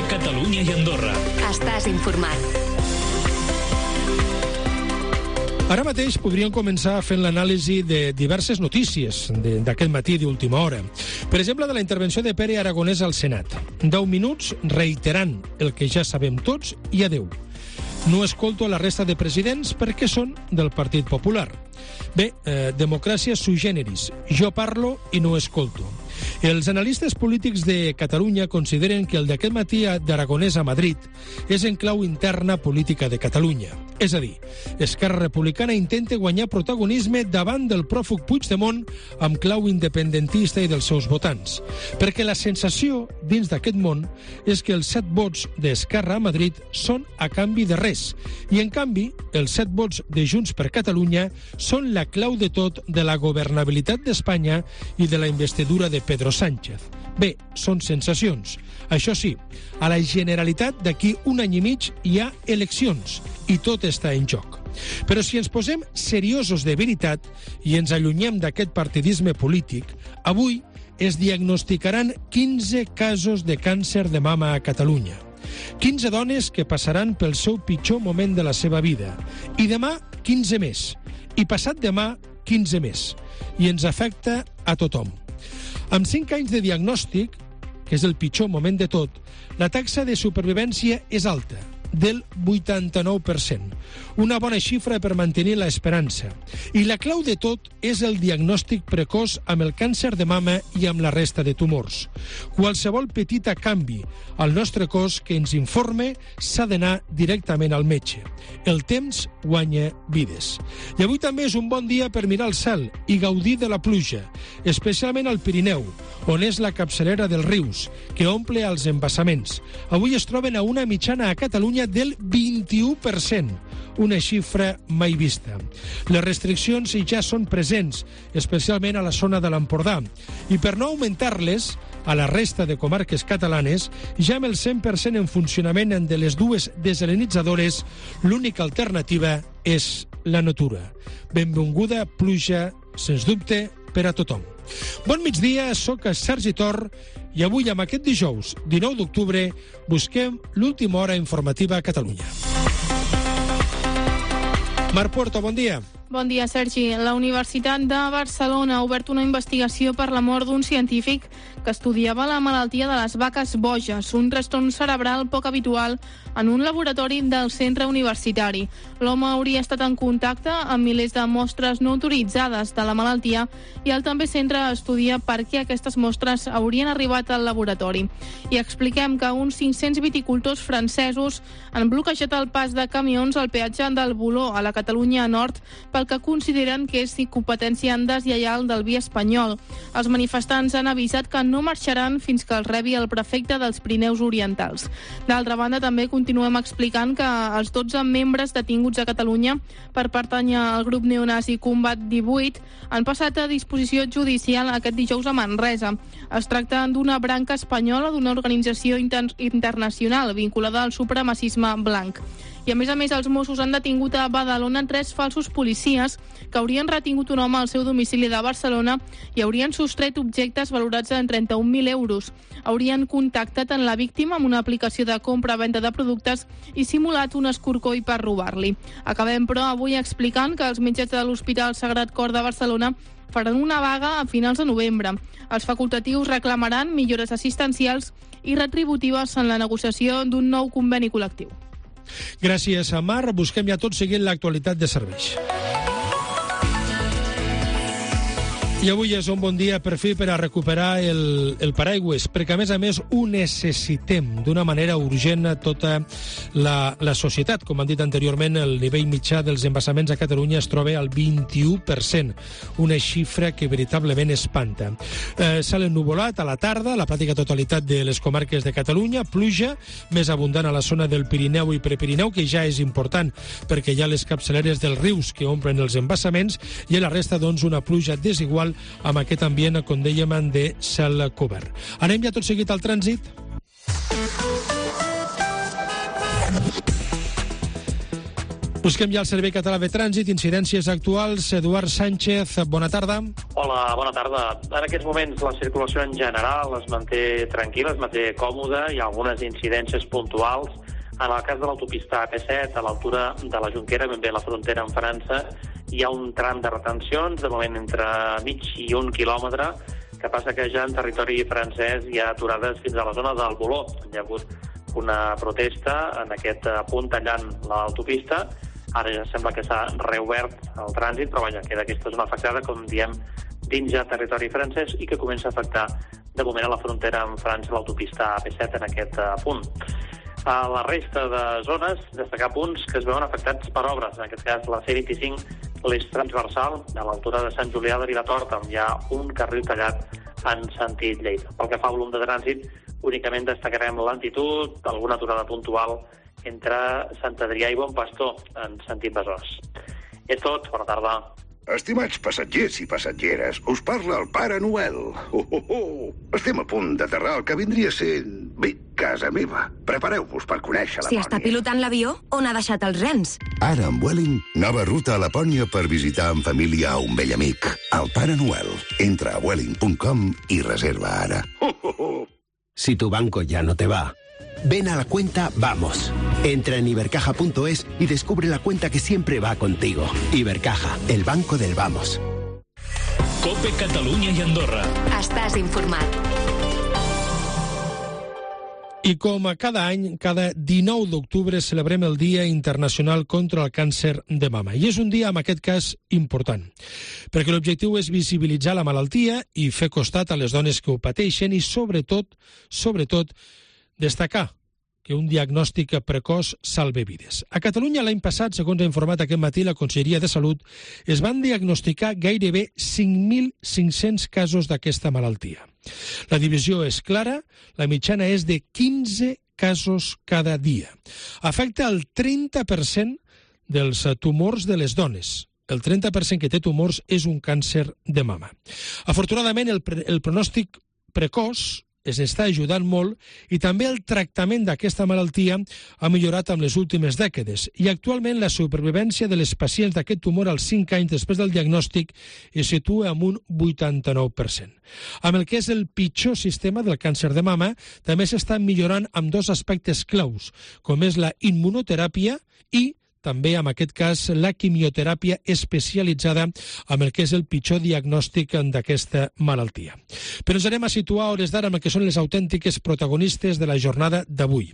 de Catalunya i Andorra. Estàs informat. Ara mateix podríem començar fent l'anàlisi de diverses notícies d'aquest matí d'última hora. Per exemple, de la intervenció de Pere Aragonès al Senat. 10 minuts reiterant el que ja sabem tots i adeu. No escolto a la resta de presidents perquè són del Partit Popular. Bé, democràcia sui generis. Jo parlo i no escolto. Els analistes polítics de Catalunya consideren que el d'aquest matí d'Aragonès a Madrid és en clau interna política de Catalunya. És a dir, Esquerra Republicana intenta guanyar protagonisme davant del pròfug Puigdemont amb clau independentista i dels seus votants. Perquè la sensació dins d'aquest món és que els 7 vots d'Esquerra a Madrid són a canvi de res. I, en canvi, els 7 vots de Junts per Catalunya són la clau de tot de la governabilitat d'Espanya i de la investidura de Pedro Sánchez. Bé, són sensacions. Això sí, a la Generalitat d'aquí un any i mig hi ha eleccions i tot està en joc. Però si ens posem seriosos de veritat i ens allunyem d'aquest partidisme polític, avui es diagnosticaran 15 casos de càncer de mama a Catalunya. 15 dones que passaran pel seu pitjor moment de la seva vida. I demà, 15 més. I passat demà, 15 més. I ens afecta a tothom. Amb 5 anys de diagnòstic, que és el pitjor moment de tot, la taxa de supervivència és alta, del 89%. Una bona xifra per mantenir l'esperança. I la clau de tot és el diagnòstic precoç amb el càncer de mama i amb la resta de tumors. Qualsevol petita canvi al nostre cos que ens informe s'ha d'anar directament al metge. El temps guanya vides. I avui també és un bon dia per mirar el cel i gaudir de la pluja, especialment al Pirineu, on és la capçalera dels rius, que omple els embassaments. Avui es troben a una mitjana a Catalunya del 21%, una xifra mai vista. Les restriccions ja són presents, especialment a la zona de l'Empordà, i per no augmentar-les, a la resta de comarques catalanes, ja amb el 100% en funcionament de les dues desalinitzadores, l'única alternativa és la natura. Benvinguda pluja, sens dubte, per a tothom. Bon migdia, sóc Sergi Tor i avui, amb aquest dijous, 19 d'octubre, busquem l'última hora informativa a Catalunya. Marc Puerto, bon dia. Bon dia, Sergi. La Universitat de Barcelona ha obert una investigació per la mort d'un científic que estudiava la malaltia de les vaques boges, un trastorn cerebral poc habitual en un laboratori del centre universitari. L'home hauria estat en contacte amb milers de mostres no autoritzades de la malaltia i el també centre estudia per què aquestes mostres haurien arribat al laboratori. I expliquem que uns 500 viticultors francesos han bloquejat el pas de camions al peatge del Voló a la Catalunya Nord pel que consideren que és competència deslleial del vi espanyol. Els manifestants han avisat que no marxaran fins que els rebi el prefecte dels Pirineus Orientals. D'altra banda, també continuem explicant que els 12 membres detinguts a Catalunya per pertànyer al grup neonazi Combat 18 han passat a disposició judicial aquest dijous a Manresa. Es tracta d'una branca espanyola d'una organització internacional vinculada al supremacisme blanc. I a més, els Mossos han detingut a Badalona 3 falsos policies que haurien retingut un home al seu domicili de Barcelona i haurien sostret objectes valorats en 31.000 euros. Haurien contactat en la víctima amb una aplicació de compra-venda de productes i simulat un escorcoll per robar-li. Acabem, però, avui explicant que els metges de l'Hospital Sagrat Cor de Barcelona faran una vaga a finals de novembre. Els facultatius reclamaran millores assistencials i retributives en la negociació d'un nou conveni col·lectiu. Gràcies a Mar. Busquem ja tot seguint l'actualitat de serveis. I avui és un bon dia per fi per a recuperar el paraigües, perquè a més ho necessitem d'una manera urgent a tota la societat. Com han dit anteriorment, el nivell mitjà dels embassaments a Catalunya es troba al 21%, una xifra que veritablement espanta. S'ha ennuvolat a la tarda, la pràctica totalitat de les comarques de Catalunya, pluja més abundant a la zona del Pirineu i Prepirineu, que ja és important perquè hi ha les capçaleres dels rius que omplen els embassaments, i a la resta, doncs, una pluja desigual amb aquest ambient, com dèiem, de cel cobert. Anem ja tot seguit al trànsit. Busquem ja el Servei Català de Trànsit, incidències actuals. Eduard Sánchez, bona tarda. Hola, bona tarda. En aquests moments la circulació en general es manté tranquil·la, es manté còmoda. Hi ha algunes incidències puntuals. En el cas de l'autopista AP7, a l'altura de la Jonquera, ben bé a la frontera amb França, hi ha un tram de retencions, de moment entre mig i 1 quilòmetre, que passa que ja en territori francès hi ha aturades fins a la zona del Boló. Hi ha hagut una protesta en aquest punt tallant l'autopista. Ara ja sembla que s'ha reobert el trànsit, però vaja, queda aquesta zona afectada, com diem, dins ja territori francès i que comença a afectar de moment a la frontera amb França l'autopista AP7 en aquest punt. A la resta de zones, destacar punts que es veuen afectats per obres. En aquest cas, la C25, l'eix transversal, a l'altura de Sant Julià de Vilatorta, on hi ha un carril tallat en sentit Lleida. Pel que fa a volum de trànsit, únicament destacarem lentitud, alguna aturada puntual entre Sant Adrià i Bon Pastor, en sentit Besòs. És tot, bona tarda. Estimats passatgers i passatgeres, us parla el Pare Noel. Estem a punt d'aterrar al que vindria a ser, bé, casa meva. Prepareu-vos per conèixer Lapònia. Si està pilotant l'avió, on ha deixat els rens? Ara amb Vueling, nova ruta a Lapònia per visitar en família a un vell amic. El Pare Noel. Entra a vueling.com i reserva ara. Si tu banco ya no te va, ven a la cuenta Vamos. Entra en ibercaja.es y descubre la cuenta que siempre va contigo. Ibercaja, el banco del Vamos. COPE Catalunya i Andorra. Estàs informat. I com a cada any, cada 19 d'octubre celebrem el Dia Internacional contra el Càncer de Mama. I és un dia, en aquest cas, important, perquè l'objectiu és visibilitzar la malaltia i fer costat a les dones que ho pateixen i, sobretot, destacar que un diagnòstic precoç salva vides. A Catalunya l'any passat, segons ha informat aquest matí la Conselleria de Salut, es van diagnosticar gairebé 5.500 casos d'aquesta malaltia. La divisió és clara, la mitjana és de 15 casos cada dia. Afecta el 30% dels tumors de les dones. El 30% que té tumors és un càncer de mama. Afortunadament, el pronòstic precoç es està ajudant molt i també el tractament d'aquesta malaltia ha millorat amb les últimes dècades i actualment la supervivència de les pacients d'aquest tumor als 5 anys després del diagnòstic es situa en un 89%. Amb el que és el pitjor sistema del càncer de mama també s'està millorant amb dos aspectes claus, com és la immunoteràpia i també, en aquest cas, la quimioteràpia especialitzada amb el que és el pitjor diagnòstic d'aquesta malaltia. Però ens anem a situar a hores d'ara amb el que són les autèntiques protagonistes de la jornada d'avui.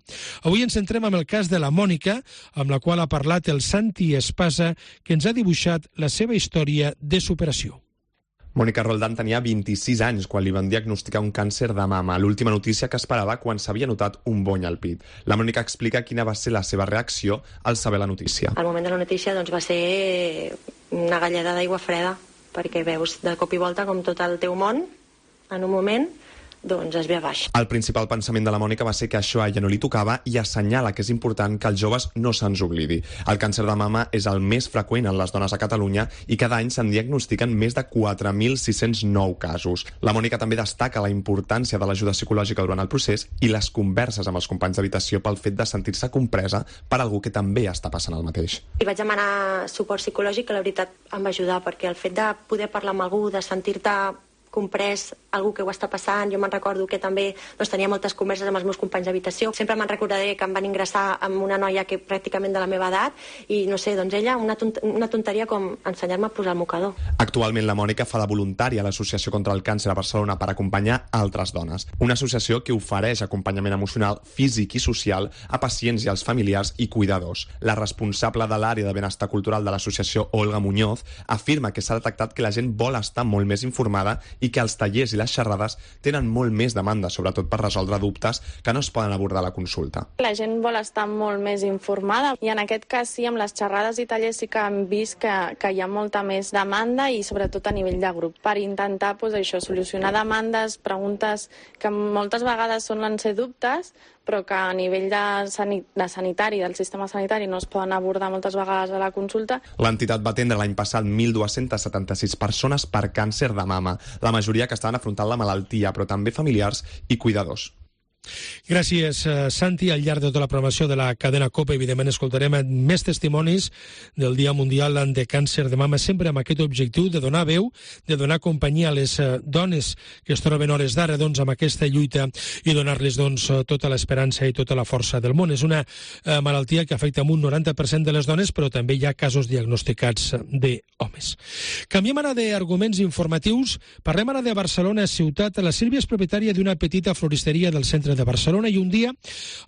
Avui ens centrem en el cas de la Mònica, amb la qual ha parlat el Santi Espasa, que ens ha dibuixat la seva història de superació. Mònica Roldán tenia 26 anys quan li van diagnosticar un càncer de mama, l'última notícia que esperava quan s'havia notat un bony al pit. La Mònica explica quina va ser la seva reacció al saber la notícia. Al moment de la notícia va ser una galleda d'aigua freda, perquè veus de cop i volta com tot el teu món, en un moment, es ve a baix. El principal pensament de la Mònica va ser que això a ella no li tocava i assenyala que és important que els joves no se'ns oblidi. El càncer de mama és el més freqüent en les dones a Catalunya i cada any se'n diagnostiquen més de 4.609 casos. La Mònica també destaca la importància de l'ajuda psicològica durant el procés i les converses amb els companys d'habitació pel fet de sentir-se compresa per algú que també està passant el mateix. I vaig demanar suport psicològic, que la veritat em va ajudar, perquè el fet de poder parlar amb algú, de sentir-te comprès, algú que ho està passant. Jo me'n recordo que també tenia moltes converses amb els meus companys d'habitació. Sempre me'n recordaré que em van ingressar amb una noia que pràcticament de la meva edat i, no sé, ella, una tonteria com ensenyar-me a posar el mocador. Actualment la Mònica fa de voluntària a l'Associació contra el Càncer a Barcelona per acompanyar altres dones. Una associació que ofereix acompanyament emocional, físic i social a pacients i als familiars i cuidadors. La responsable de l'àrea de benestar cultural de l'associació, Olga Muñoz, afirma que s'ha detectat que la gent vol estar molt més informada i que els tallers i les xerrades tenen molt més demanda, sobretot per resoldre dubtes que no es poden abordar a la consulta. La gent vol estar molt més informada i en aquest cas sí, amb les xerrades i tallers sí que hem vist que hi ha molta més demanda i sobretot a nivell de grup per intentar solucionar demandes, preguntes que moltes vegades solen ser dubtes però que a nivell de sanitari, del sistema sanitari, no es poden abordar moltes vegades a la consulta. L'entitat va atendre l'any passat 1.276 persones per càncer de mama, la majoria que estaven afrontant la malaltia, però també familiars i cuidadors. Gràcies, Santi. Al llarg de tota la programació de la cadena COPE, evidentment, escoltarem més testimonis del Dia Mundial de Càncer de Mama, sempre amb aquest objectiu de donar veu, de donar companyia a les dones que es troben hores d'ara amb aquesta lluita i donar-les tota l'esperança i tota la força del món. És una malaltia que afecta un 90% de les dones, però també hi ha casos diagnosticats d'homes. Canviem ara d'arguments informatius. Parlem ara de Barcelona ciutat. La Sílvia és propietària d'una petita floristeria del centre de Barcelona i un dia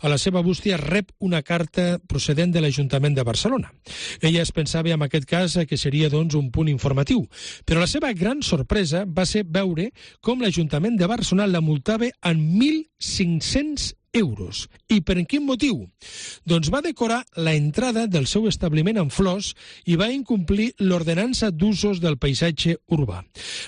a la seva bústia rep una carta procedent de l'Ajuntament de Barcelona. Ella es pensava en aquest cas que seria un punt informatiu, però la seva gran sorpresa va ser veure com l'Ajuntament de Barcelona la multava en 1.500 euros. I per quin motiu? Doncs va decorar la entrada del seu establiment amb flors i va incomplir l'ordenança d'usos del paisatge urbà.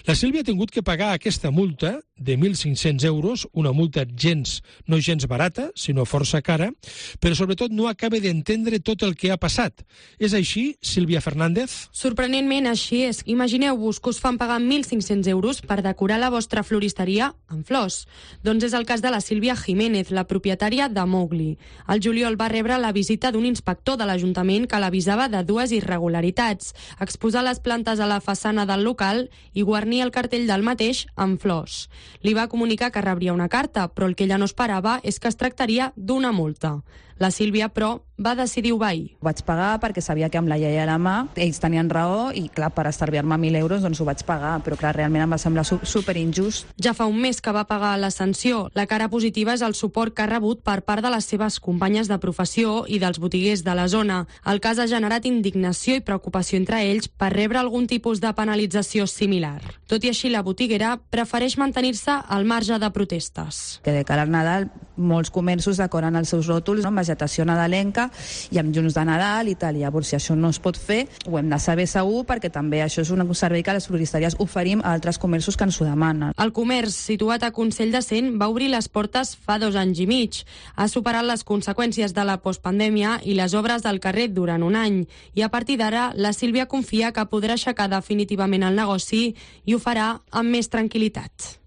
La Sílvia ha tingut que pagar aquesta multa de 1.500 euros, una multa no gens barata, sinó força cara, però sobretot no acaba d'entendre tot el que ha passat. És així, Sílvia Fernández? Sorprenentment així és. Imagineu-vos que us fan pagar 1.500 euros per decorar la vostra floristeria amb flors. Doncs és el cas de la Sílvia Jiménez, la propietària de Mowgli. Al juliol va rebre la visita d'un inspector de l'Ajuntament que l'avisava de dues irregularitats: exposar les plantes a la façana del local i guarnir el cartell del mateix amb flors. Li va comunicar que rebria una carta, però el que ella no esperava és que es tractaria d'una multa. La Sílvia, però, va decidir obeir. Vaig pagar perquè sabia que amb la llei a la mà ells tenien raó i, clar, per estalviar-me 1.000 euros doncs ho vaig pagar, però clar, realment em va semblar superinjust. Ja fa un mes que va pagar la sanció. La cara positiva és el suport que ha rebut per part de les seves companyes de professió i dels botiguers de la zona. El cas ha generat indignació i preocupació entre ells per rebre algun tipus de penalització similar. Tot i així, la botiguera prefereix mantenir-se al marge de protestes. Que de cara al Nadal, molts comerços decoren els seus ròtols amb vegetació nadalenca i amb llums de Nadal i tal. Llavors, si això no es pot fer, ho hem de saber segur, perquè també això és un servei que les floristeries oferim a altres comerços que ens ho demanen. El comerç, situat a Consell de Cent, va obrir les portes fa 2 anys i mig. Ha superat les conseqüències de la postpandèmia i les obres del carrer durant un any. I a partir d'ara, la Sílvia confia que podrà aixecar definitivament el negoci i ho farà amb més tranquil·litat.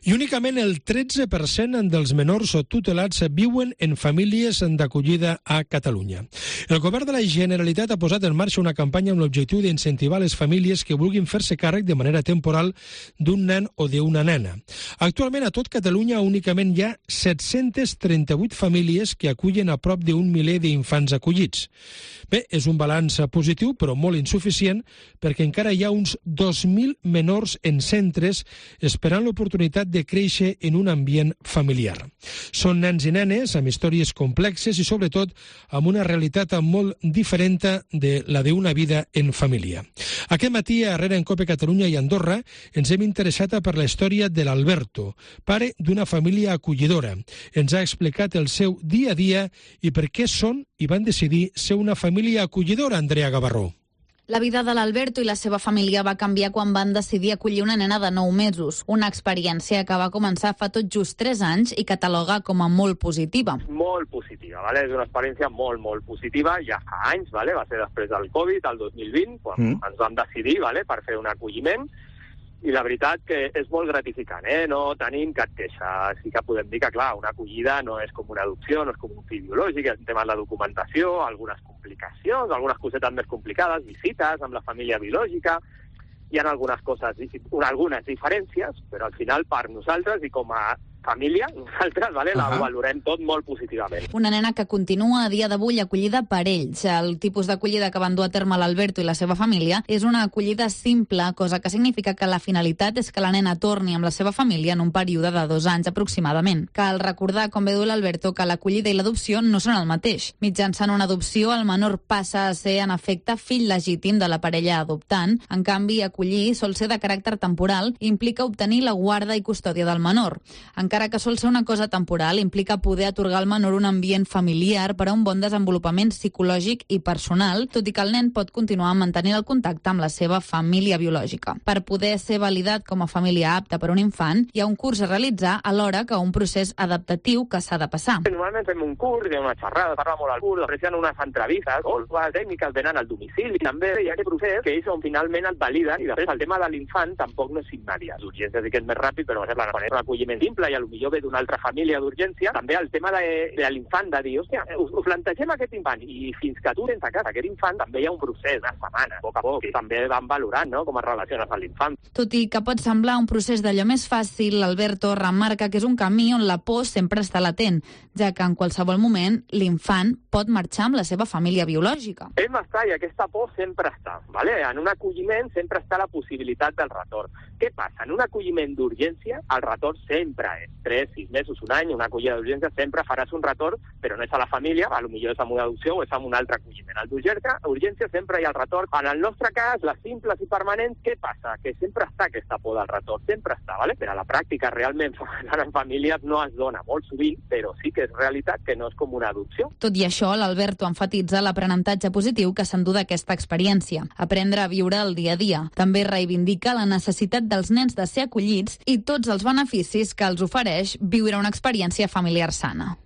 I únicament el 13% dels menors tutelats viuen en famílies d'acollida a Catalunya. El govern de la Generalitat ha posat en marxa una campanya amb l'objectiu d'incentivar les famílies que vulguin fer-se càrrec de manera temporal d'un nen o d'una nena. Actualment a tot Catalunya únicament hi ha 738 famílies que acullen a prop d'1 miler d'infants acollits. Bé, és un balanç positiu, però molt insuficient, perquè encara hi ha uns 2.000 menors en centres esperant l'oportunitat de créixer en un ambient familiar. Són nens i nenes amb històries complexes i, sobretot, amb una realitat molt diferent de la d'una vida en família. Aquest matí, a Herrera en Cope Catalunya i Andorra, ens hem interessat per la història de l'Alberto, pare d'una família acollidora. Ens ha explicat el seu dia a dia i per què són i van decidir ser una família acollidora, Andrea Gavarró. La vida de l'Alberto i la seva família va canviar quan van decidir acollir una nena de 9 mesos, una experiència que va començar fa tot just 3 anys i cataloga com a molt positiva. Molt positiva, ¿vale? És una experiència molt positiva, ja fa anys, ¿vale? Va ser després del Covid, el 2020, quan ens vam decidir, ¿vale? Per fer un acolliment, i la veritat que és molt gratificant, no tenim cap queixa. Sí que podem dir que, clar, una acollida no és com una adopció, no és com un fill biològic, el tema de la documentació, algunes complicacions, algunes cosetes més complicades, visites amb la família biològica, hi ha algunes coses, algunes diferències, però al final per nosaltres i com a família, nosaltres, ¿vale? La valorem tot molt positivament. Una nena que continua a dia d'avui acollida per ells. El tipus d'acollida que van dur a terme l'Alberto i la seva família és una acollida simple, cosa que significa que la finalitat és que la nena torni amb la seva família en un període de 2 anys aproximadament. Cal recordar, com bé diu l'Alberto, que l'acollida i l'adopció no són el mateix. Mitjançant una adopció, el menor passa a ser, en efecte, fill legítim de la parella adoptant. En canvi, acollir sol ser de caràcter temporal i implica obtenir la guarda i custòdia del menor. Encara que sol ser una cosa temporal, implica poder atorgar al menor un ambient familiar per a un bon desenvolupament psicològic i personal, tot i que el nen pot continuar mantenint el contacte amb la seva família biològica. Per poder ser validat com a família apta per a un infant, hi ha un curs a realitzar alhora que un procés adaptatiu que s'ha de passar. Normalment fem un curs, hi ha una xerrada, parla molt al curs, després hi ha unes entrevistes, o les tècniques venen al domicili, també hi ha aquest procés que ells on finalment et validen, i després el tema de l'infant tampoc no és immediat. L'urgència sí que és més ràpid, però per exemple, quan és un acolliment simple i potser ve d'una altra família d'urgència. També el tema de l'infant, de dir, hòstia, us plantegem aquest infant, i fins que tu tens a casa aquest infant, també hi ha un procés, una setmana, a poc a poc, i també van valorant, no?, com es relaciones amb l'infant. Tot i que pot semblar un procés d'allò més fàcil, Alberto remarca que és un camí on la por sempre està latent, ja que en qualsevol moment l'infant pot marxar amb la seva família biològica. Hem estat, i aquesta por sempre està, ¿vale? En un acolliment sempre està la possibilitat del retorn. Què passa? En un acolliment d'urgència, el retorn sempre és 3, 6 mesos, un any, una acollida d'urgència, sempre faràs un retorn, però no és a la família, potser és amb una adopció o és amb un altre acolliment. El d'urgència sempre hi ha el retorn. En el nostre cas, les simples i permanents, què passa? Que sempre està aquesta por del retorn, sempre està, ¿vale? Però a la pràctica, realment, en famílies no es dona molt sovint, però sí que és realitat que no és com una adopció. Tot i això, l'Alberto enfatitza l'aprenentatge positiu que s'endú d'aquesta experiència, aprendre a viure el dia a dia. També reivindica la necessitat dels nens de ser acollits i tots els beneficis que els ofereix viure una experiència familiar sana.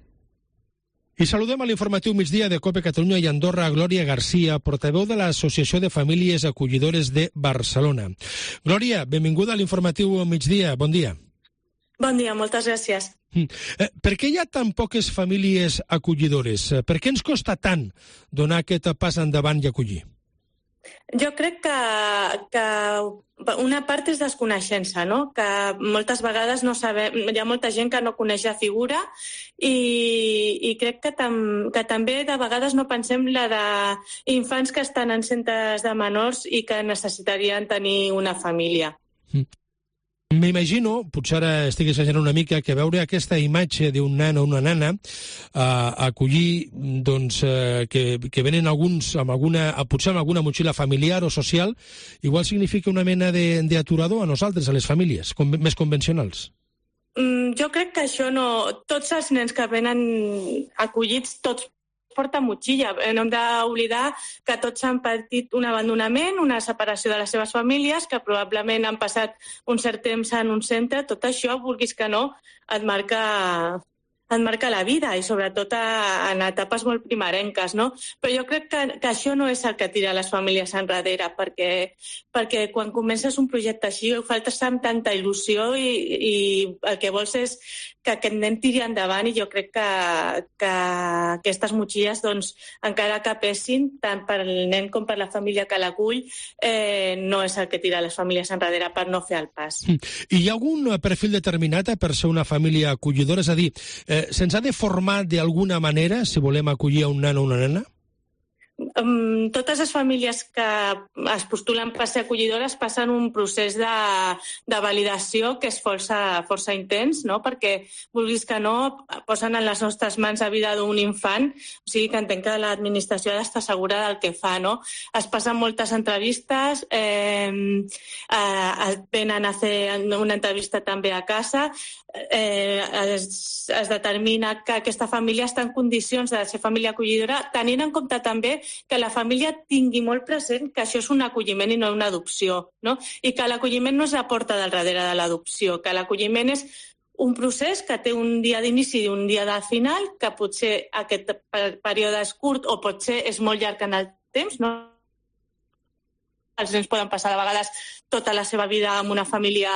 I saludem a l'informatiu migdia de COPE Catalunya i Andorra a Glòria Garcia, portaveu de l'Associació de Famílies Acollidores de Barcelona. Glòria, benvinguda a l'informatiu migdia. Bon dia. Bon dia, moltes gràcies. Per què hi ha tan poques famílies acollidores? Per què ens costa tant donar aquest pas endavant i acollir? Jo crec que una part és desconeixença, no? Que moltes vegades no sabem, hi ha molta gent que no coneix la figura i crec que també de vegades no pensem la d'infants que estan en centres de menors i que necessitarien tenir una família. M'imagino, potser ara estic exagerant una mica, que veure aquesta imatge d'un nen o una nana acollir, doncs, que venen alguns potser amb alguna motxilla familiar o social, igual significa una mena d'aturador a nosaltres, a les famílies més convencionals. Jo crec que això no... Tots els nens que venen acollits, tots porta motxilla. No hem d'oblidar que tots han patit un abandonament, una separació de les seves famílies, que probablement han passat un cert temps en un centre. Tot això, vulguis que no, et marca la vida i sobretot en etapes molt primerenques, no? Però jo crec que això no és el que tira les famílies enrere, perquè quan comences un projecte així ho faltes amb tanta il·lusió i el que vols és que aquest nen tiri endavant i jo crec que aquestes motxilles, doncs, encara que pesin, tant per al nen com per la família que l'acull, no és el que tira les famílies enrere per no fer el pas. I hi ha algun perfil determinat per ser una família acollidora? És a dir, se'ns ha de formar d'alguna manera si volem acollir a un nen o una nena? Totes les famílies que es postulen per ser acollidores passen un procés de validació que és força intens, no? Perquè, vulguis que no, posen en les nostres mans la vida d'un infant, o sigui que entenc que l'administració ha d'estar segura del que fa, no? Es passen moltes entrevistes, venen a fer una entrevista també a casa, es determina que aquesta família està en condicions de ser família acollidora, tenint en compte també que la família tingui molt present que això és un acolliment i no una adopció, no? I que l'acolliment no és la porta del darrere de l'adopció, que l'acolliment és un procés que té un dia d'inici i un dia de final, que potser aquest període és curt o potser és molt llarg en el temps, no? Els nens poden passar de vegades tota la seva vida amb una família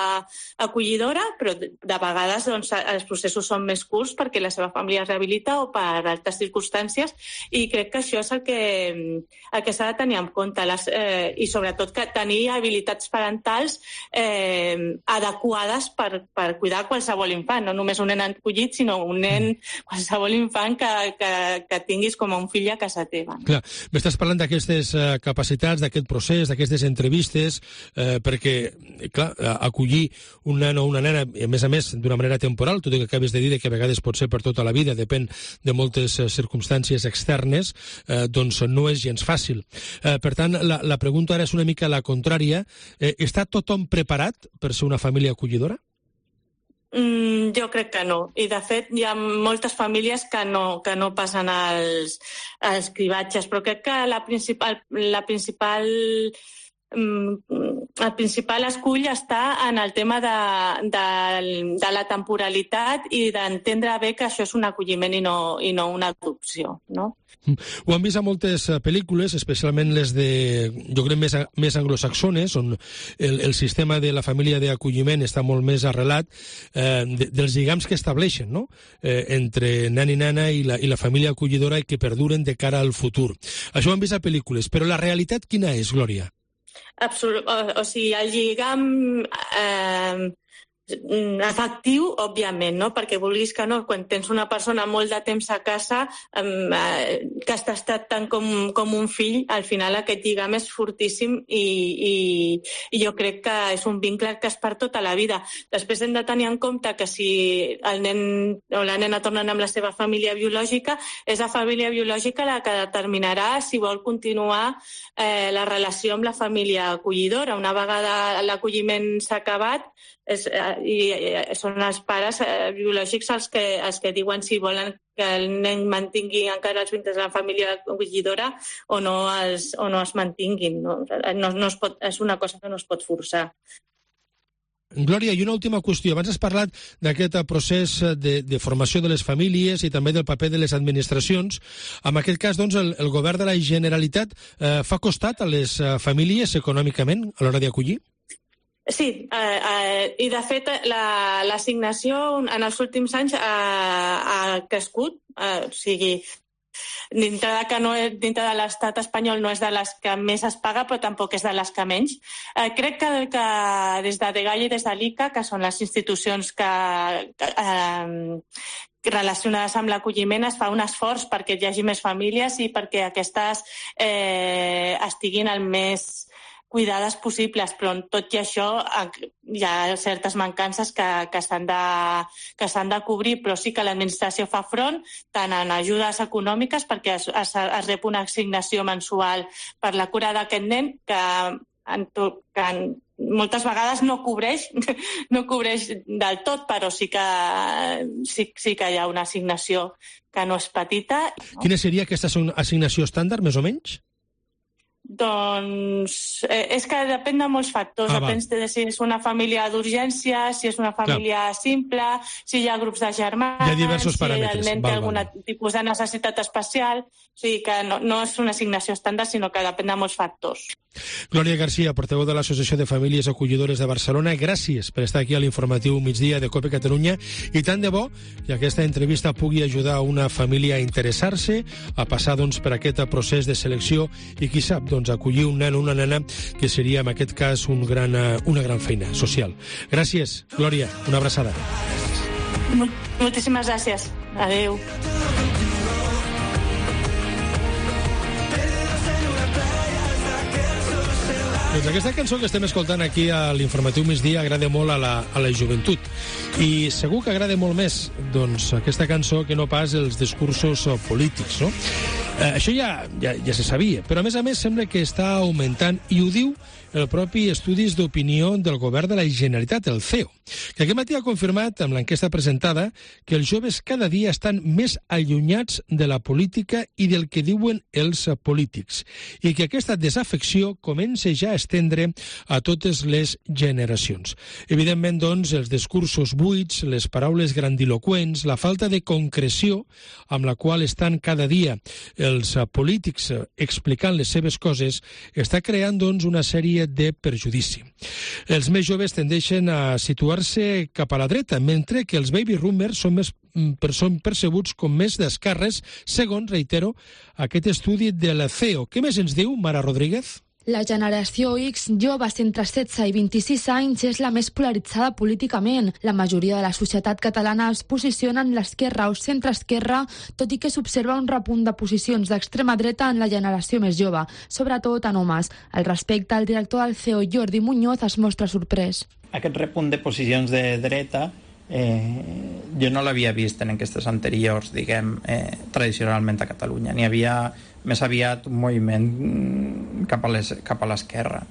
acollidora, però de vegades doncs, els processos són més curts perquè la seva família es rehabilita o per altres circumstàncies i crec que això és el que s'ha de tenir en compte i sobretot que tenir habilitats parentals adequades per cuidar qualsevol infant, no només un nen acollit, sinó un nen, qualsevol infant que tinguis com a un fill a casa teva. Clar, m'estàs parlant d'aquestes capacitats, d'aquest procés, d'aquestes entrevistes, perquè, clar, acollir un nen o una nena, a més, d'una manera temporal, tot i que acabes de dir que a vegades pot ser per tota la vida, depèn de moltes circumstàncies externes, doncs no és gens fàcil. Per tant, la pregunta ara és una mica la contrària. Està tothom preparat per ser una família acollidora? Jo crec que no. I, de fet, hi ha moltes famílies que no passen els cribatges, però crec que la principal el principal escull està en el tema de la temporalitat i d'entendre bé que això és un acolliment i no una adopció, no? Ho han vist a moltes pel·lícules, especialment les de, jo crec, més anglosaxones, on el sistema de la família d'acolliment està molt més arrelat, dels lligams que estableixen, no?, entre nen i nena i la família acollidora i que perduren de cara al futur. Això ho han vist a pel·lícules, però la realitat quina és, Glòria? O sigui, el lligam efectiu, òbviament, no? Perquè vulguis que no, quan tens una persona molt de temps a casa que has estat tant com un fill, al final aquest lligam és fortíssim i jo crec que és un vincle que és per tota la vida. Després hem de tenir en compte que si el nen o la nena tornen amb la seva família biològica, és la família biològica la que determinarà si vol continuar la relació amb la família acollidora. Una vegada l'acolliment s'ha acabat, i són els pares biològics els que diuen si volen que el nen mantingui encara els vincles de la família acollidora o no es mantinguin. No es pot, és una cosa que no es pot forçar. Glòria, i una última qüestió. Abans has parlat d'aquest procés de formació de les famílies i també del paper de les administracions. En aquest cas, doncs, el govern de la Generalitat fa costat a les famílies econòmicament a l'hora d'acollir? Sí, i de fet l'assignació en els últims anys ha crescut, o sigui, dintre de l'estat espanyol no és de les que més es paga, però tampoc és de les que menys. Crec que des de Dgaia i des de l'ICA, que són les institucions relacionades amb l'acolliment, es fa un esforç perquè hi hagi més famílies i perquè aquestes estiguin el més cuidades possibles, però tot i això hi ha certes mancances que s'han de cobrir, però sí que l'administració fa front tant en ajudes econòmiques perquè es rep una assignació mensual per la cura d'aquest nen que moltes vegades no cobreix del tot, però sí que hi ha una assignació que no és petita. Quina seria aquesta assignació estàndard, més o menys? Doncs és que depèn de molts factors. Depèn de si és una família d'urgència, si és una família simple, si hi ha grups de germans, hi ha diversos paràmetres. Si el nen té algun tipus de necessitat especial. O sigui que no és una assignació estàndard, sinó que depèn de molts factors. Glòria Garcia, portaveu de l'Associació de Famílies Acollidores de Barcelona, gràcies per estar aquí a l'informatiu migdia de COPE Catalunya i tant de bo que aquesta entrevista pugui ajudar una família a interessar-se, a passar doncs, per aquest procés de selecció i qui sap, doncs, acollir un nen o una nena, que seria en aquest cas una gran feina social. Gràcies, Glòria, una abraçada. Moltíssimes gràcies. Adéu. Doncs aquesta cançó que estem escoltant aquí a l'informatiu migdia agrada molt a la joventut i segur que agrada molt més doncs, aquesta cançó que no pas els discursos polítics, no? Això ja se sabia, però a més sembla que està augmentant i ho diu el propi Estudis d'Opinió del Govern de la Generalitat, el CEO, que aquest matí ha confirmat amb l'enquesta presentada que els joves cada dia estan més allunyats de la política i del que diuen els polítics i que aquesta desafecció comença ja a estendre a totes les generacions. Evidentment, doncs, els discursos buits, les paraules grandiloqüents, la falta de concreció amb la qual estan cada dia els polítics explicant les seves coses està creant, doncs, una sèrie de perjudici. Els més joves tendeixen a situar-se cap a la dreta, mentre que els baby boomers són percebuts com més d'esquerres, segons, reitero, aquest estudi de la CEO. Què més ens diu, Mara Rodríguez? La generació X, joves entre 16 i 26 anys, és la més polaritzada políticament. La majoria de la societat catalana es posiciona en l'esquerra o centre-esquerra, tot i que s'observa un repunt de posicions d'extrema dreta en la generació més jove, sobretot en homes. Al respecte, el director del CEO, Jordi Muñoz, es mostra sorprès. Aquest repunt de posicions de dreta jo no l'havia vist en enquestes anteriors, tradicionalment a Catalunya. N'hi havia més aviat un moviment cap a l'esquerra.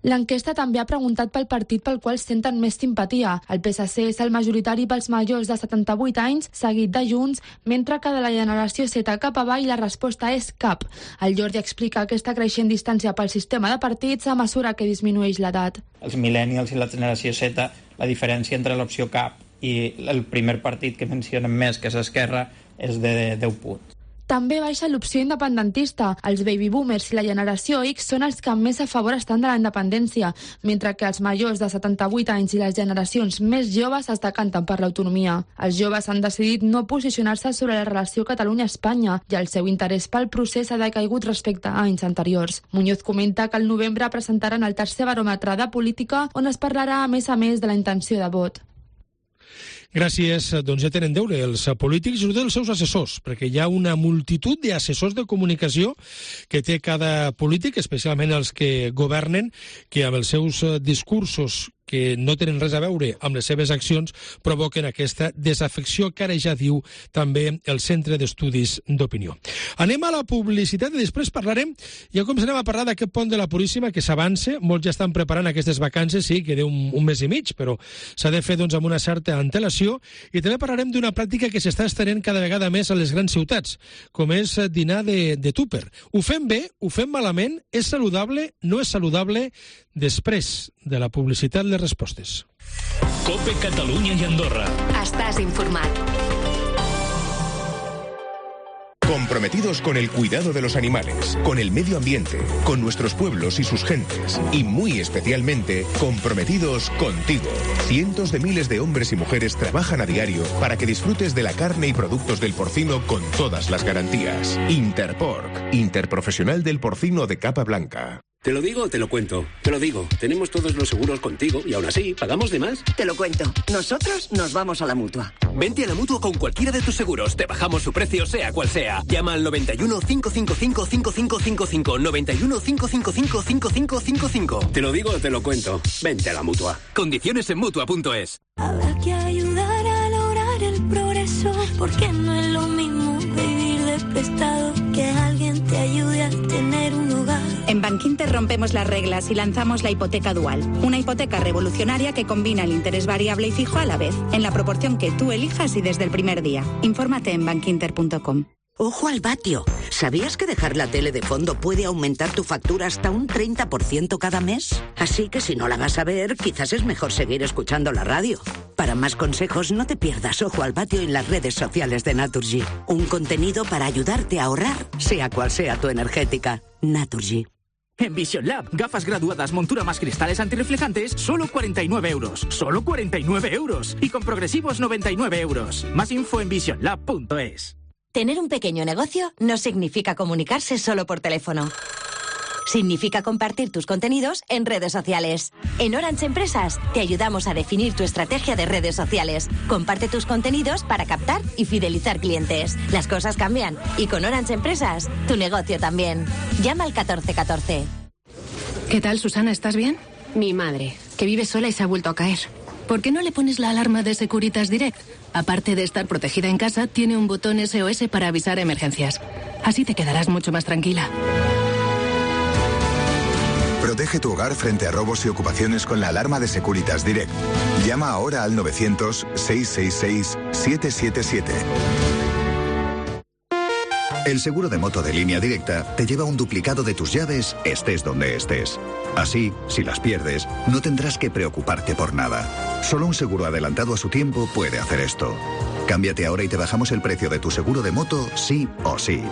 L'enquesta també ha preguntat pel partit pel qual senten més simpatia. El PSC és el majoritari pels majors de 78 anys, seguit de Junts, mentre que de la generació Z cap avall la resposta és cap. El Jordi explica aquesta creixent distància pel sistema de partits a mesura que disminueix l'edat. Els millennials i la generació Z, la diferència entre l'opció cap i el primer partit que mencionen més, que és Esquerra, és de 10 punts. També baixa l'opció independentista. Els baby boomers i la generació X són els que més a favor estan de la independència, mentre que els majors de 78 anys i les generacions més joves es decanten per l'autonomia. Els joves han decidit no posicionar-se sobre la relació Catalunya-Espanya i el seu interès pel procés ha decaigut respecte a anys anteriors. Muñoz comenta que al novembre presentaran el tercer baròmetre de política on es parlarà a més de la intenció de vot. Gràcies. Doncs ja tenen deure els polítics i els seus assessors, perquè hi ha una multitud d'assessors de comunicació que té cada polític, especialment els que governen, que amb els seus discursos que no tenen res a veure amb les seves accions, provoquen aquesta desafecció que ara ja diu també el Centre d'Estudis d'Opinió. Anem a la publicitat i després parlarem, ja començarem a parlar d'aquest pont de la Puríssima que s'avança, molts ja estan preparant aquestes vacances, sí, queda un mes i mig, però s'ha de fer doncs, amb una certa antelació, i també parlarem d'una pràctica que s'està estenent cada vegada més a les grans ciutats, com és dinar de tupper. Ho fem bé, ho fem malament, és saludable, no és saludable? Després de la publicitat, les respostes. COPE Catalunya i Andorra. Estàs informat. Comprometidos con el cuidado de los animales, con el medio ambiente, con nuestros pueblos y sus gentes, y muy especialmente comprometidos contigo. Cientos de miles de hombres y mujeres trabajan a diario para que disfrutes de la carne y productos del porcino con todas las garantías. Interpork, Interprofesional del Porcino de Capa Blanca. ¿Te lo digo o te lo cuento? Te lo digo. Tenemos todos los seguros contigo y aún así, ¿pagamos de más? Te lo cuento. Nosotros nos vamos a la Mutua. Vente a la Mutua con cualquiera de tus seguros. Te bajamos su precio, sea cual sea. Llama al 91 555 5555. 91 555 5555. Te lo digo o te lo cuento. Vente a la Mutua. Condiciones en Mutua.es. Habrá que ayudar a lograr el progreso, porque no es lo mismo vivir de prestado que alguien te ayude a tener un hogar. En Bankinter rompemos las reglas y lanzamos la hipoteca dual, una hipoteca revolucionaria que combina el interés variable y fijo a la vez, en la proporción que tú elijas y desde el primer día. Infórmate en bankinter.com. Ojo al vatio. ¿Sabías que dejar la tele de fondo puede aumentar tu factura hasta un 30% cada mes? Así que si no la vas a ver, quizás es mejor seguir escuchando la radio. Para más consejos, no te pierdas Ojo al vatio en las redes sociales de Naturgy. Un contenido para ayudarte a ahorrar, sea cual sea tu energética. Naturgy. En Vision Lab, gafas graduadas, montura más cristales antirreflejantes, solo 49 euros. ¡Solo 49 euros! Y con progresivos 99 euros. Más info en visionlab.es. Tener un pequeño negocio no significa comunicarse solo por teléfono. Significa compartir tus contenidos en redes sociales. En Orange Empresas te ayudamos a definir tu estrategia de redes sociales. Comparte tus contenidos para captar y fidelizar clientes. Las cosas cambian y con Orange Empresas tu negocio también. Llama al 1414. ¿Qué tal, Susana? ¿Estás bien? Mi madre, que vive sola y se ha vuelto a caer. ¿Por qué no le pones la alarma de Securitas Direct? Aparte de estar protegida en casa, tiene un botón SOS para avisar emergencias. Así te quedarás mucho más tranquila. Protege tu hogar frente a robos y ocupaciones con la alarma de Securitas Direct. Llama ahora al 900-666-777. El seguro de moto de Línea Directa te lleva un duplicado de tus llaves, estés donde estés. Así, si las pierdes, no tendrás que preocuparte por nada. Solo un seguro adelantado a su tiempo puede hacer esto. Cámbiate ahora y te bajamos el precio de tu seguro de moto, sí o sí.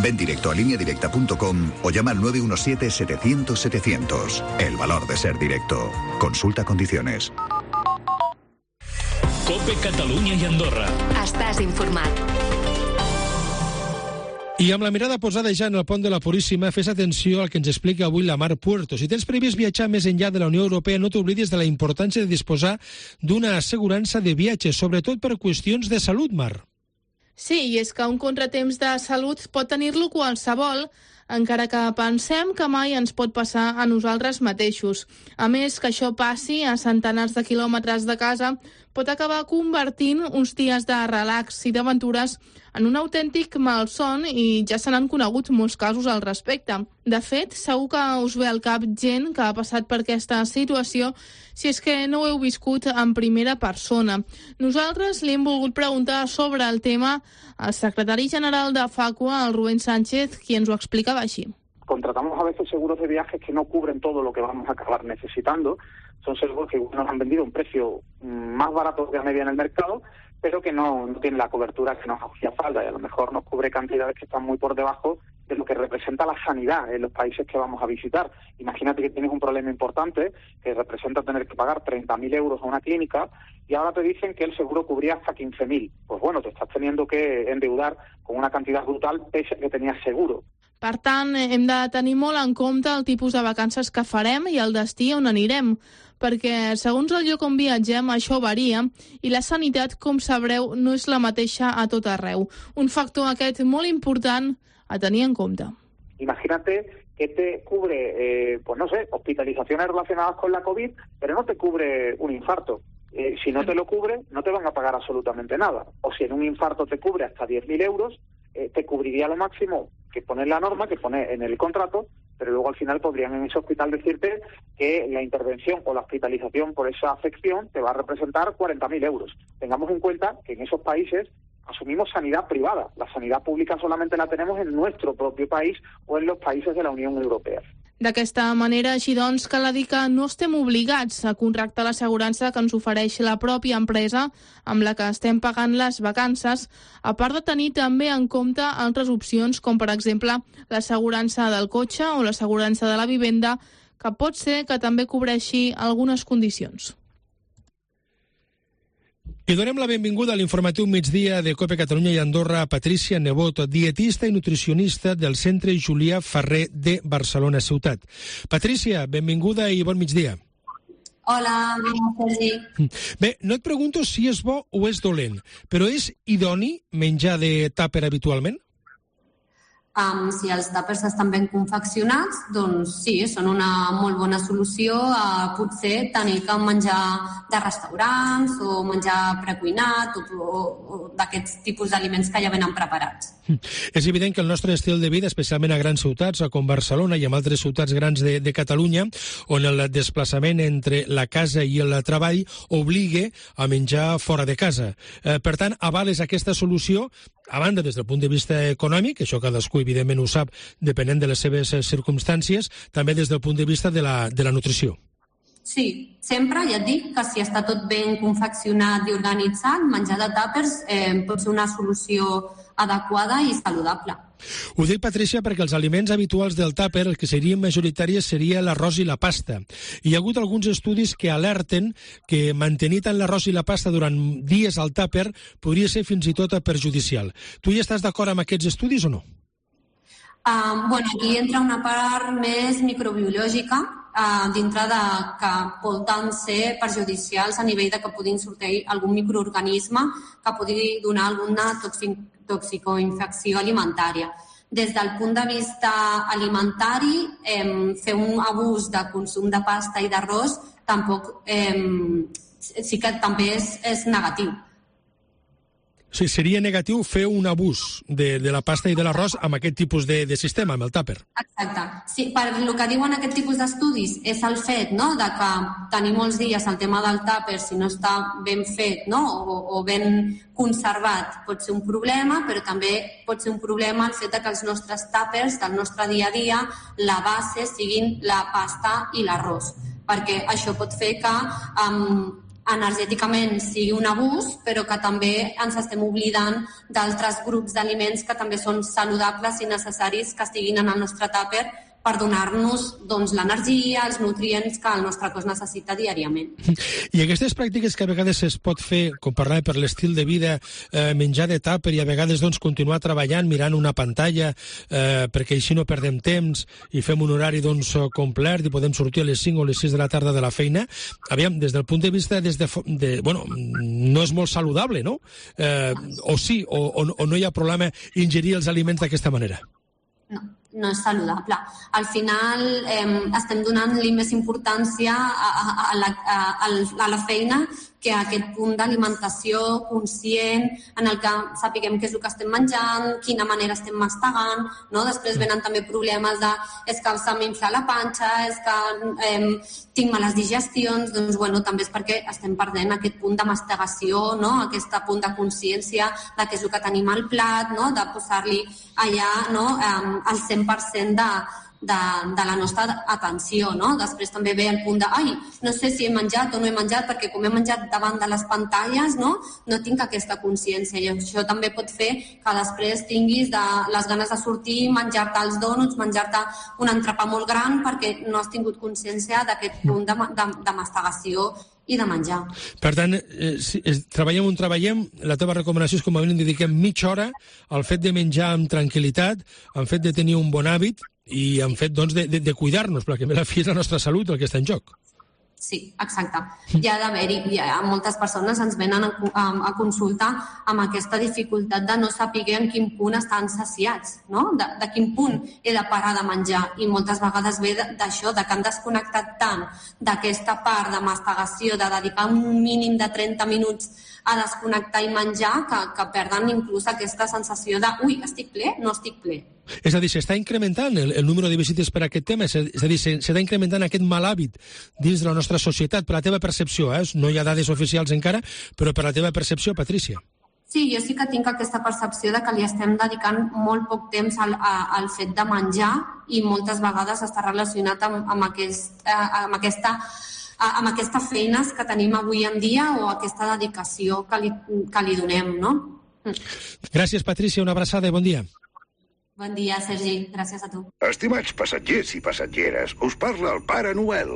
Ven directo a lineadirecta.com o llama al 917-700-700. El valor de ser directo. Consulta condiciones. COPE Catalunya i Andorra. Estàs informat. I amb la mirada posada ja en el pont de la Puríssima, fes atenció al que ens explica avui la Mar Puerto. Si tens previst viatjar més enllà de la Unió Europea, no t'oblidis de la importància de disposar d'una assegurança de viatge, sobretot per qüestions de salut, Mar. Sí, i és que un contratemps de salut pot tenir-lo qualsevol. encara que pensem que mai ens pot passar a nosaltres mateixos. A més, que això passi a centenars de quilòmetres de casa pot acabar convertint uns dies de relax i d'aventures en un autèntic malson i ja se n'han conegut molts casos al respecte. De fet, segur que us ve al cap gent que ha passat per aquesta situació si és que no ho heu viscut en primera persona. Nosaltres li hem volgut preguntar sobre el tema al secretari general de Facua, el Rubén Sánchez, qui ens ho explicava així. Contratamos a veces seguros de viajes que no cubren todo lo que vamos a acabar necesitando. Son seguros que nos han vendido a un precio más barato que la media en el mercado, pero que no tienen la cobertura que nos hacía falta y a lo mejor nos cubre cantidades que están muy por debajo de lo que representa la sanidad en los países que vamos a visitar. Imagínate que tienes un problema importante que representa tener que pagar 30.000 euros a una clínica y ahora te dicen que el seguro cubría hasta 15.000. Pues bueno, te estás teniendo que endeudar con una cantidad brutal pese a que tenías seguro. Per tant, hem de tenir molt en compte el tipus de vacances que farem i el destí on anirem, perquè segons el lloc on viatgem això varia i la sanitat, com sabreu, no és la mateixa a tot arreu. Un factor aquest molt important a tenir en compte. Imagínate que te cubre, hospitalizaciones relacionadas con la COVID, pero no te cubre un infarto. Si no te lo cubre, no te van a pagar absolutamente nada. O si en un infarto te cubre hasta 10.000 euros, te cubriría lo máximo que pone en la norma, que pone en el contrato, pero luego al final podrían en ese hospital decirte que la intervención o la hospitalización por esa afección te va a representar 40.000 euros. Tengamos en cuenta que en esos países asumimos sanidad privada. La sanidad pública solamente la tenemos en nuestro propio país o en los países de la Unión Europea. D'aquesta manera, així doncs, cal dir que no estem obligats a contractar l'assegurança que ens ofereix la pròpia empresa amb la que estem pagant les vacances, a part de tenir també en compte altres opcions, com per exemple l'assegurança del cotxe o l'assegurança de la vivenda, que pot ser que també cobreixi algunes condicions. I donem la benvinguda a l'informatiu migdia de COPE Catalunya i Andorra a Patricia Nebot, dietista i nutricionista del Centre Julià Ferrer de Barcelona Ciutat. Patricia, benvinguda i bon migdia. Hola, Sergi. Bé, no et pregunto si és bo o és dolent, però és idoni menjar de tàper habitualment? Si els tàpers estan ben confeccionats, doncs sí, són una molt bona solució a potser tenir que menjar de restaurants o menjar precuinat o d'aquests tipus d'aliments que ja venen preparats. És evident que el nostre estil de vida, especialment a grans ciutats, com Barcelona i en altres ciutats grans de Catalunya, on el desplaçament entre la casa i el treball obliga a menjar fora de casa. Per tant, avales aquesta solució, a banda des del punt de vista econòmic, això cadascú evidentment ho sap depenent de les seves circumstàncies, també des del punt de vista de la nutrició. Sí, sempre, ja et dic, que si està tot ben confeccionat i organitzat, menjar de tàpers pot ser una solució adequada i saludable. Ho dic, Patricia, perquè els aliments habituals del tàper, el que serien majoritàries, seria l'arròs i la pasta. Hi ha hagut alguns estudis que alerten que mantenir tant l'arròs i la pasta durant dies al tàper podria ser fins i tot perjudicial. Tu hi estàs d'acord amb aquests estudis o no? Aquí entra una part més microbiològica, dintre de que poden ser perjudicials a nivell de que puguin sortir algun microorganisme que pugui donar alguna toxicoinfecció alimentària. Des del punt de vista alimentari, fer un abús de consum de pasta i d'arròs tampoc sí que també és negatiu. Sí, seria negatiu fer un abús de la pasta i de l'arròs amb aquest tipus de sistema, amb el tàper. Exacte. Sí, per el que diuen aquest tipus d'estudis és el fet de que tenir molts dies el tema del tàper, si no està ben fet o ben conservat, pot ser un problema, però també pot ser un problema el fet que els nostres tàpers del nostre dia a dia, la base siguin la pasta i l'arròs, perquè això pot fer que energèticament sigui un abús, però que també ens estem oblidant d'altres grups d'aliments que també són saludables i necessaris que estiguin en el nostre tàper per donar-nos l'energia, els nutrients que el nostre cos necessita diàriament. I aquestes pràctiques que a vegades es pot fer, com parlava, per l'estil de vida, menjar de tàper i a vegades continuar treballant mirant una pantalla perquè així no perdem temps i fem un horari complet i podem sortir a les 5 o les 6 de la tarda de la feina, aviam, des del punt de vista no és molt saludable, no? O sí, o no hi ha problema ingerir els aliments d'aquesta manera? No no és saludable. Al final estem donant-li més importància a la feina que a aquest punt d'alimentació conscient en el que sapiguem què és el que estem menjant, quina manera estem mastegant, no? Després venen també problemes de és que se m'infla la panxa, és que tinc males digestions, doncs també és perquè estem perdent aquest punt de mastegació, no? Aquest punt de consciència de què és el que tenim al plat, no? De posar-li allà, no? El 100% de la nostra atenció, no? Després també ve el punt de no sé si he menjat o no he menjat, perquè com he menjat davant de les pantalles, no tinc aquesta consciència, i això també pot fer que després tinguis les ganes de sortir, menjar-te els dònuts, menjar-te un entrepà molt gran, perquè no has tingut consciència d'aquest punt de mastegació i de menjar. Per tant, si treballem on treballem, la teva recomanació és com a mínim dediquem mitja hora al fet de menjar amb tranquil·litat, al fet de tenir un bon hàbit i en fet de cuidar-nos, perquè a la fi és la nostra salut el que està en joc. Sí, exacte. Hi ha d'haver-hi, moltes persones ens venen a consultar amb aquesta dificultat de no saber en quin punt estan saciats, no? De quin punt he de parar de menjar, i moltes vegades ve d'això, de que han desconnectat tant d'aquesta part de mastegació, de dedicar un mínim de 30 minuts a desconnectar i menjar, que perden inclús aquesta sensació de estic ple, no estic ple. És a dir, s'està incrementant el número de visites per a aquest tema, és a dir, s'està incrementant aquest mal hàbit dins de la nostra societat, per la teva percepció, no hi ha dades oficials encara, però per la teva percepció, Patrícia. Sí, jo sí que tinc aquesta percepció de que li estem dedicant molt poc temps al fet de menjar, i moltes vegades està relacionat amb aquestes feines que tenim avui en dia, o aquesta dedicació que li donem, no? Gràcies, Patrícia, una abraçada i bon dia. Bon dia, Sergi. Gràcies a tu. Estimats passatgers i passatgeres, us parla el Pare Noel.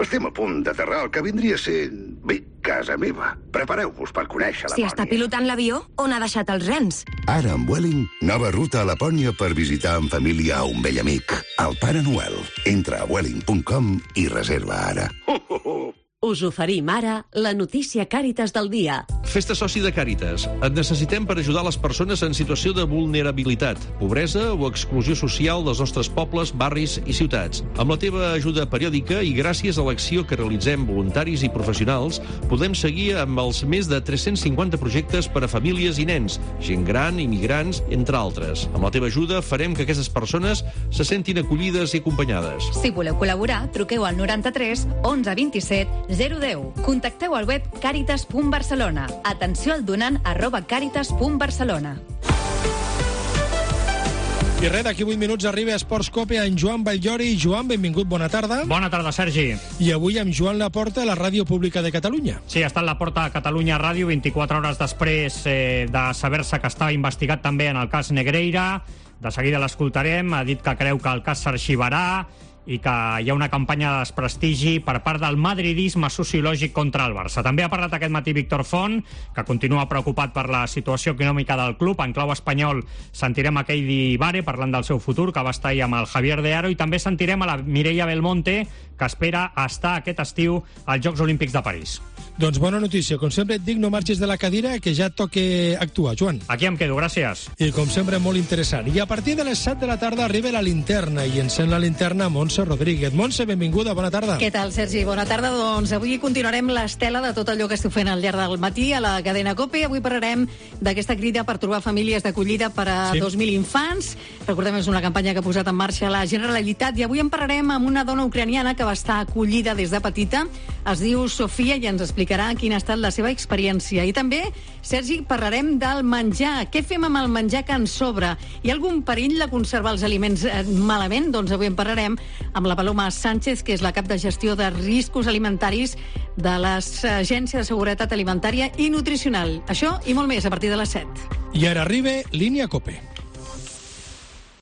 Estem a punt d'aterrar al que vindria sent, casa meva. Prepareu-vos per conèixer la Lapònia. Si està pilotant l'avió, on ha deixat els rens? Ara amb Vueling, nova ruta a Lapònia per visitar en família a un vell amic, el Pare Noel. Entra a vueling.com i reserva ara. Us oferim ara la notícia Càritas del dia. Fes-te soci de Càritas. Et necessitem per ajudar les persones en situació de vulnerabilitat, pobresa o exclusió social dels nostres pobles, barris i ciutats. Amb la teva ajuda periòdica i gràcies a l'acció que realitzem voluntaris i professionals, podem seguir amb els més de 350 projectes per a famílies i nens, gent gran, immigrants, entre altres. Amb la teva ajuda farem que aquestes persones se sentin acollides i acompanyades. Si voleu col·laborar, truqueu al 93 11 27 010. Contacteu al web caritas.barcelona. Atenció al donant @caritas.barcelona. I res, d'aquí 8 minuts arriba a Esports Cope en Joan Batllori. Joan, benvingut, bona tarda. Bona tarda, Sergi. I avui amb Joan Laporta, a la Ràdio Pública de Catalunya. Sí, està en Laporta a Catalunya Ràdio, 24 hores després de saber-se que estava investigat també en el cas Negreira. De seguida l'escoltarem, ha dit que creu que el cas s'arxivarà i que hi ha una campanya de desprestigi per part del madridisme sociològic contra el Barça. També ha parlat aquest matí Víctor Font, que continua preocupat per la situació econòmica del club. En clau espanyol sentirem a Keidi Bare parlant del seu futur, que va estar ahir amb el Javier de Aro, i també sentirem a la Mireia Belmonte, que espera estar aquest estiu als Jocs Olímpics de París. Doncs bona notícia. Com sempre et dic, no marxis de la cadira, que ja toca actuar, Joan. Aquí em quedo, gràcies. I com sempre, molt interessant. I a partir de les 7 de la tarda arriba la linterna, i encén la linterna Montse Rodríguez. Montse, benvinguda, bona tarda. Què tal, Sergi? Bona tarda. Doncs avui continuarem l'estela de tot allò que esteu fent al llarg del matí a la cadena COPE. Avui parlarem d'aquesta crida per trobar famílies d'acollida per a 2.000 infants. Recordem, és una campanya que ha posat en marxa la Generalitat, i avui en parlarem amb una dona ucraniana que va estar acollida des de petita. Es diu Sofia i ens explicarà quina ha estat la seva experiència. I també, Sergi, parlarem del menjar. Què fem amb el menjar que ens sobra? Hi ha algun perill de conservar els aliments malament? Doncs avui en parlarem amb la Paloma Sánchez, que és la cap de gestió de riscos alimentaris de l'Agència de Seguretat Alimentària i Nutricional. Això i molt més a partir de les 7. I ara arriba Línia COPE.